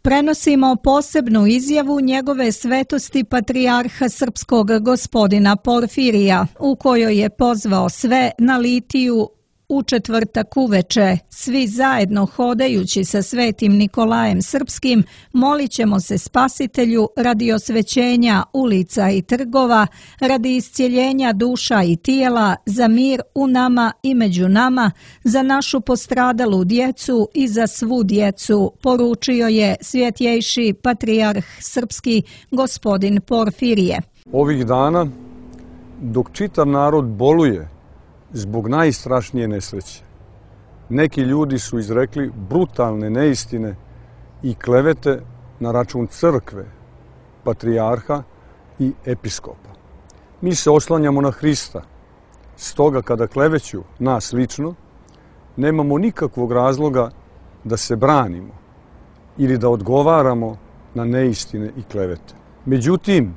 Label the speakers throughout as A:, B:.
A: Prenosimo posebnu izjavu njegove svetosti patrijarha srpskog gospodina Porfirija, u kojoj je pozvao sve na litiju u četvrtak uveče. Svi zajedno hodajući sa svetim Nikolajem Srpskim, molit ćemo se Spasitelju radi osvećenja ulica i trgova, radi iscjeljenja duša i tijela, za mir u nama i među nama, za našu postradalu djecu i za svu djecu, poručio je svjetjejši patrijarh srpski gospodin Porfirije.
B: Ovih dana, dok čitav narod boluje zbog najstrašnije nesreće, neki ljudi su izrekli brutalne neistine i klevete na račun crkve, patrijarha i episkopa. Mi se oslanjamo na Hrista, stoga kada kleveću nas lično, nemamo nikakvog razloga da se branimo ili da odgovaramo na neistine i klevete. Međutim,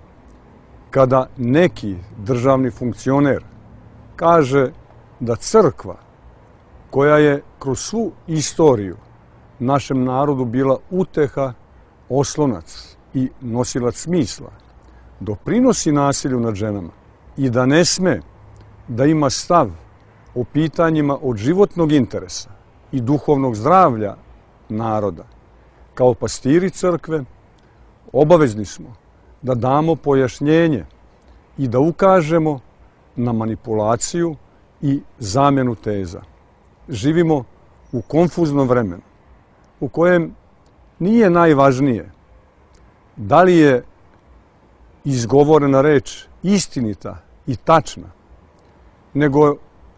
B: kada neki državni funkcioner kaže da crkva, koja je kroz svu istoriju našem narodu bila uteha, oslonac i nosilac smisla, doprinosi nasilju nad ženama i da ne sme da ima stav o pitanjima od životnog interesa i duhovnog zdravlja naroda, kao pastiri crkve, obavezni smo da damo pojašnjenje i da ukažemo na manipulaciju i zamjenu teza. Živimo u konfuznom vremenu u kojem nije najvažnije da li je izgovorena reč istinita i tačna, nego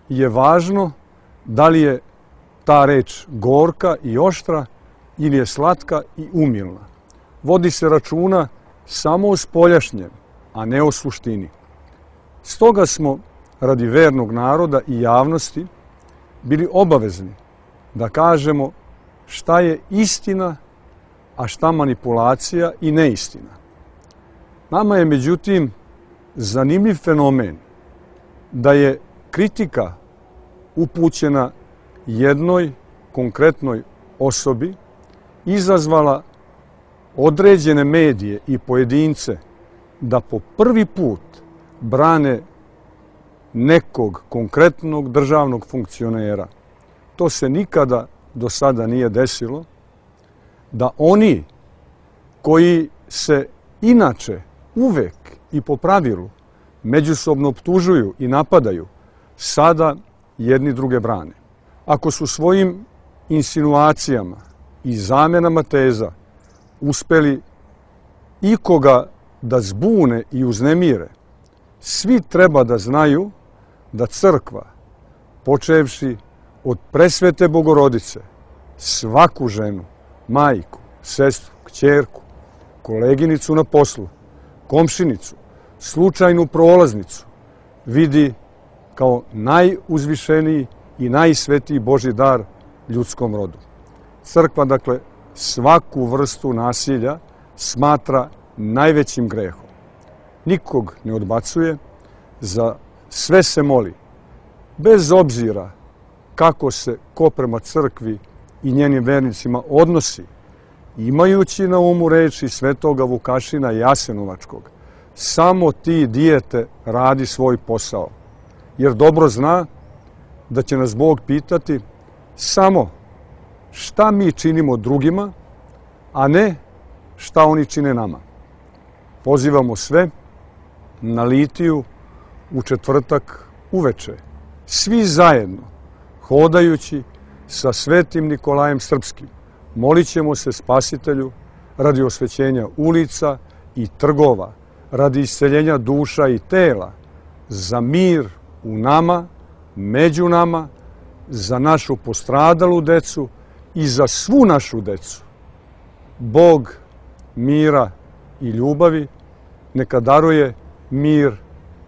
B: je važno da li je ta reč gorka i oštra ili je slatka i umilna. Vodi se računa samo o spoljašnjem, a ne o suštini. Stoga smo radi vernog naroda i javnosti bili obavezni da kažemo šta je istina, a šta manipulacija i neistina. Nama je međutim zanimljiv fenomen da je kritika upućena jednoj konkretnoj osobi izazvala određene medije i pojedince da po prvi put brane nekog konkretnog državnog funkcionera. To se nikada do sada nije desilo, da oni koji se inače uvek i po pravilu međusobno optužuju i napadaju, sada jedni druge brane. Ako su svojim insinuacijama i zamjenama teza uspeli ikoga da zbune i uznemire, svi treba da znaju da crkva, počevši od presvete Bogorodice, svaku ženu, majku, sestru, kćerku, koleginicu na poslu, komšinicu, slučajnu prolaznicu, vidi kao najuzvišeniji i najsvetiji Božji dar ljudskom rodu. Crkva, dakle, svaku vrstu nasilja smatra najvećim grehom. Nikog ne odbacuje, za sve se moli, bez obzira kako se ko prema crkvi i njenim vernicima odnosi, imajući na umu reči svetoga Vukašina Jasenovačkog: samo ti, dijete, radi svoj posao, jer dobro zna da će nas Bog pitati samo šta mi činimo drugima, a ne šta oni čine nama. Pozivamo sve na litiju u četvrtak uveče, svi zajedno, hodajući sa svetim Nikolajem Srpskim, molit ćemo se Spasitelju radi osvećenja ulica i trgova, radi isceljenja duša i tela, za mir u nama, među nama, za našu postradalu decu i za svu našu decu. Bog mira i ljubavi neka daruje mir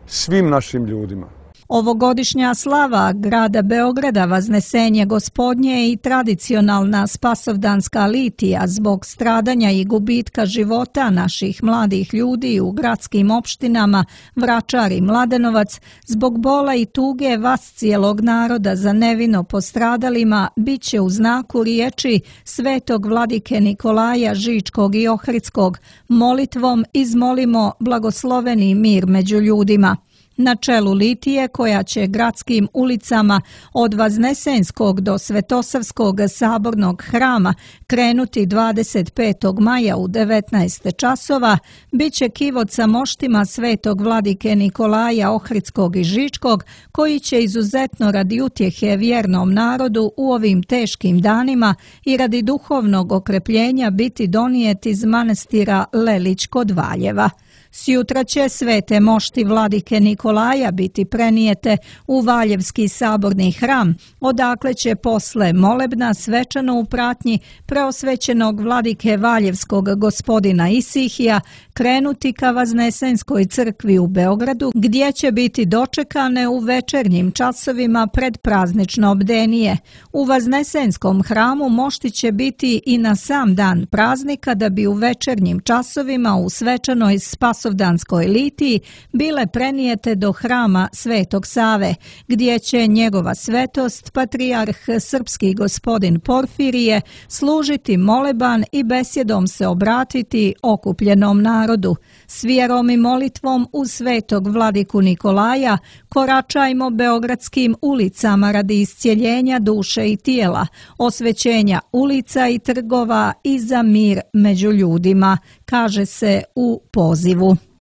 B: svim našim ljudima.
A: Ovogodišnja slava grada Beograda Vaznesenje Gospodnje je i tradicionalna spasovdanska litija zbog stradanja i gubitka života naših mladih ljudi u gradskim opštinama Vračar i Mladenovac, zbog bola i tuge vas cijelog naroda za nevino postradalima, bit će u znaku riječi svetog vladike Nikolaja Žičkog i Ohridskog. Molitvom izmolimo blagosloveni mir među ljudima. Na čelu litije, koja će gradskim ulicama od Vaznesenskog do Svetosavskog sabornog hrama krenuti 25. maja u 19 časova, bit će kivot sa moštima svetog vladike Nikolaja Ohridskog i Žičkog, koji će izuzetno radi utjehe vjernom narodu u ovim teškim danima i radi duhovnog okrepljenja biti donijet iz manastira Lelić kod Valjeva. Sjutra će svete mošti vladike Nikolaja biti prenijete u Valjevski saborni hram, odakle će posle molebna svečano u pratnji preosvećenog vladike Valjevskog gospodina Isihija krenuti ka Vaznesenskoj crkvi u Beogradu, gdje će biti dočekane u večernjim časovima pred praznično bdenije. U Vaznesenskom hramu mošti će biti i na sam dan praznika, da bi u večernjim časovima u svečanoj spasovdanskoj litiji bile prenijete do hrama Svetog Save, gdje će njegova svetost, patrijarh srpski gospodin Porfirije, služiti moleban i besjedom se obratiti okupljenom narodu. S vjerom i molitvom u svetog vladiku Nikolaja koračajmo beogradskim ulicama radi iscijeljenja duše i tijela, osvećenja ulica i trgova i za mir među ljudima, kaže se u pozivu.